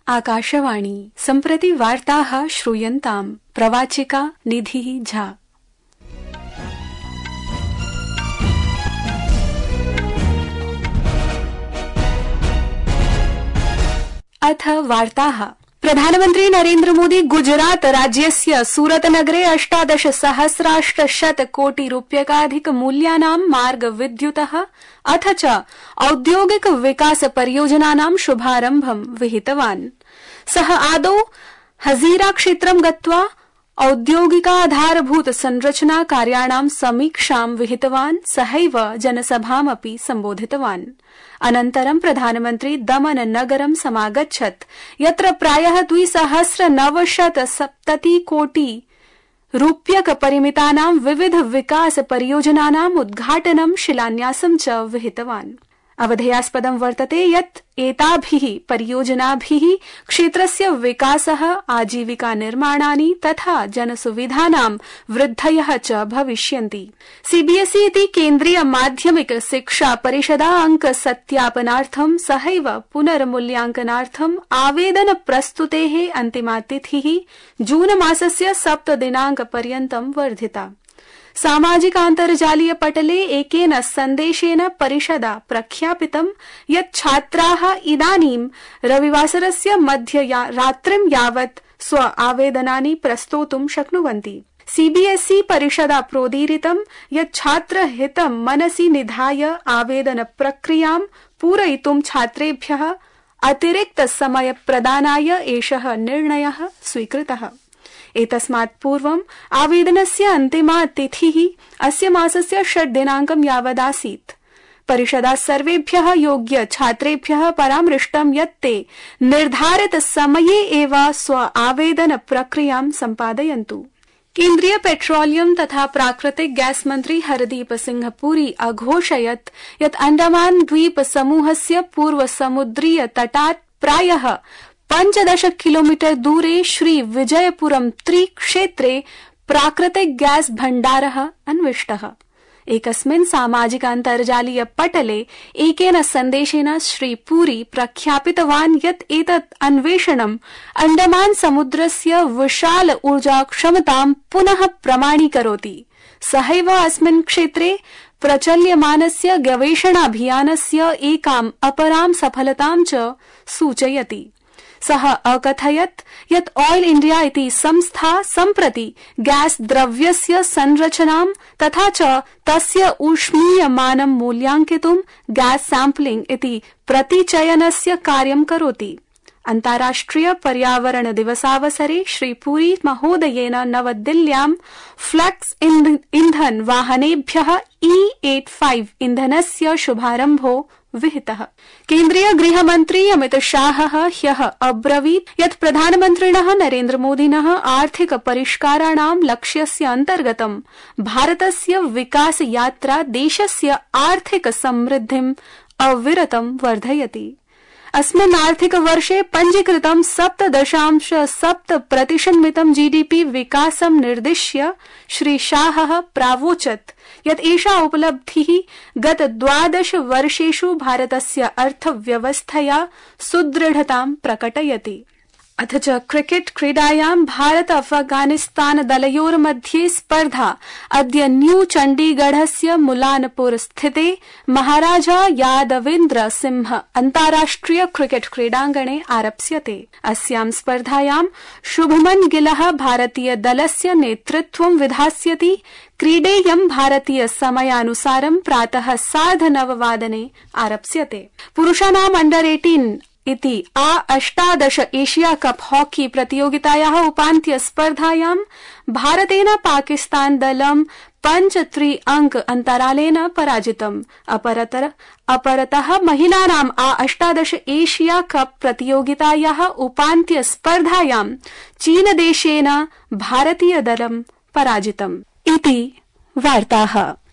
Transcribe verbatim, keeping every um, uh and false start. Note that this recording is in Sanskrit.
आकाशवाणी सम्प्रति वार्ताः श्रूयन्ताम्। प्रवाचिका निधिः झा। अथ वार्ताः। प्रधानमन्त्री नरेन्द्र मोदी गुजरात राज्यस्य सूरत नगरे अष्टादश सहस्राष्टशत कोटि रूप्यकाधिक मूल्यानां मार्ग विद्युतः अथ च औद्योगिक विकास परियोजनानां शुभारम्भं विहितवान्। सः आदौ हजीरा क्षेत्रं गत्वा औद्योगिकाधारभूत संरचना कार्याणां समीक्षां विहितवान्। सहैव जनसभामपि सम्बोधितवान्। अनन्तरं प्रधानमन्त्री दमन नगरं समागच्छत्, यत्र प्रायः द्विसहस्र नवशत सप्तति कोटि रूप्यक परिमितानां विविध विकास परियोजनानाम् उद्घाटनं शिलान्यासं च विहितवान्। अवधेयास्पदं वर्तते यत् एताभिः परियोजनाभिः क्षेत्रस्य विकासः, आजीविका निर्माणानि तथा जनसुविधानां वृद्धयः च भविष्यन्ति। सीबीएसई इति केन्द्रीय माध्यमिक शिक्षा परिषदा अंक सत्यापनार्थं सहैव पुनर्मूल्यांकनार्थं आवेदन प्रस्तुतेः अन्तिमा तिथिः जून मासस्य सप्त दिनांक पर्यन्तं वर्धिता। सामाजिकान्तर्जालीय पटले एकेन सन्देशेन परिषदा प्रख्यापितं यत् छात्राः इदानीं रविवासरस्य मध्य रात्रिं यावत् स्व आवेदनानि प्रस्तोतुं शक्नुवन्ति। सीबीएसई परिषदा प्रोदीरितं यत् छात्रहितं मनसि निधाय आवेदन प्रक्रियां पूरयितुं छात्रेभ्यः अतिरिक्त समय प्रदानाय एषः निर्णयः स्वीकृतः। एतस्मात् पूर्वम् आवेदनस्य अन्तिमा तिथिः अस्य मासस्य षट् दिनाङ्कं यावदासीत्। परिषदा सर्वेभ्यः योग्य छात्रेभ्यः परामृष्टं यत् ते निर्धारित समये एव स्व आवेदन प्रक्रियां सम्पादयन्तु। केन्द्रीय पेट्रोलियम तथा प्राकृतिक गैस मंत्री हरदीप सिंह पुरी अघोषयत् यत् अंडमान द्वीप समूहस्य पूर्व समुद्रीय तटात् प्रायः पंचदश किलोमीटर दूरे श्री विजयपुरम त्रि क्षेत्रे प्राकृतिक गैस भण्डारः अन्विष्टः। एकस्मिन् सामाजिकान्तर्जालीय पटले एकेन सन्देशेन श्री पुरी प्रख्यापितवान् यत् एतत् अन्वेषणम् अंडमान समुद्रस्य विशाल ऊर्जा क्षमतां पुनः प्रमाणीकरोति। सहैव अस्मिन् क्षेत्रे प्रचल्यमानस्य गवेषणाभियानस्य एकाम् अपरां सफलतां च सूचयति। सः अकथयत् यत् ऑयल इंडिया इति संस्था सम्प्रति गैस द्रव्यस्य संरचनां तथा च तस्य ऊष्मीयमानं मूल्याङ्कितुं गैस सैम्पलिंग इति प्रतिचयनस्य कार्यं करोति। अन्ताराष्ट्रिय पर्यावरण दिवसावसरे श्री पुरी महोदयेन नवदिल्ल्यां फ्लेक्स इंधन वाहनेभ्यः ई पचासी इंधनस्य शुभारम्भो विहितः। केन्द्रीय गृहमन्त्री अमित शाहः ह्यः अब्रवीत् यत् प्रधानमन्त्रिणः नरेन्द्र मोदिनः आर्थिक परिष्काराणां लक्ष्यस्य अन्तर्गतं भारतस्य विकास यात्रा देशस्य आर्थिक समृद्धिम् अविरतं वर्धयति। अस्मिन् आर्थिक वर्षे पञ्जीकृतं सप्त दशांश सप्त प्रतिशन्मितं जीडीपी विकासं निर्दिश्य श्री शाहः प्रावोचत् यत् एषा उपलब्धिः गत द्वादश वर्षेषु भारतस्य अर्थव्यवस्थया सुदृढतां प्रकटयति। अथ च क्रिकेट क्रीडायां भारत अफगानिस्तान दलयोर्मध्ये स्पर्धा अद्य न्यू चण्डीगढस्य मुलानपुर स्थिते महाराजा यादवेन्द्र सिंह अन्ताराष्ट्रिय क्रिकेट क्रीडाङ्गणे आरप्स्यते। अस्यां स्पर्धायां शुभमन गिलः भारतीय दलस्य नेतृत्वं विधास्यति। क्रीडेयं भारतीय समयानुसारं प्रातः सार्धनववादने आरप्स्यते। पुरुषाणाम् अंडर अठारह इति आ अष्टादश एशिया कप हॉकी प्रतियोगितायाः उपान्त्य स्पर्धायां भारतेन पाकिस्तान दलं पंच त्रि अंक अन्तरालेन पराजितम्। अपरतर अपरतः महिलानाम् आ अष्टादश एशिया कप प्रतियोगितायाः उपान्त्य स्पर्धायां चीनदेशेन भारतीय दलं पराजितम्। इति वार्ताः।